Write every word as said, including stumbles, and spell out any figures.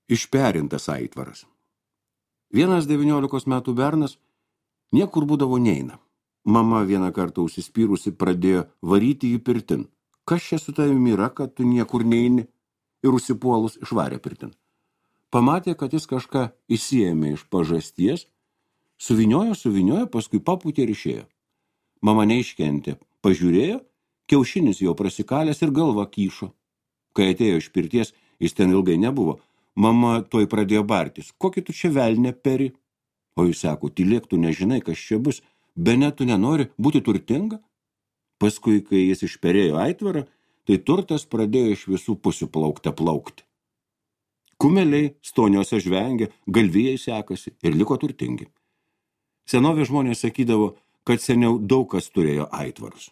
Išperintas aitvaras. Vienas devyniolikos metų bernas niekur būdavo neina. Mama vieną kartą užsispyrusi pradėjo varyti jį pirtin. Kas čia su tavimi yra, kad tu niekur neini? Ir užsipuolus išvarė pirtin. Pamatė, kad jis kažką įsiėmė iš pažasties, suviniojo, suviniojo, paskui papūtė ir išėjo. Mama neiškentė, pažiūrėjo, kiaušinis jau prasikalęs ir galva kyšo. Kai atėjo iš pirties, jis ten ilgai nebuvo. Mama tuoj pradėjo bartis. Kokį tu čia velnę peri? O jis sako, tylėk, tu nežinai, kas čia bus. Bene tu nenori būti turtinga? Paskui, kai jis išperėjo aitvarą, tai turtas pradėjo iš visų pusių plaukte plaukti. Kumeliai stoniuose žvengia, galvijai sekasi ir liko turtingi. Senovės žmonės sakydavo, kad seniau daug kas turėjo aitvarus.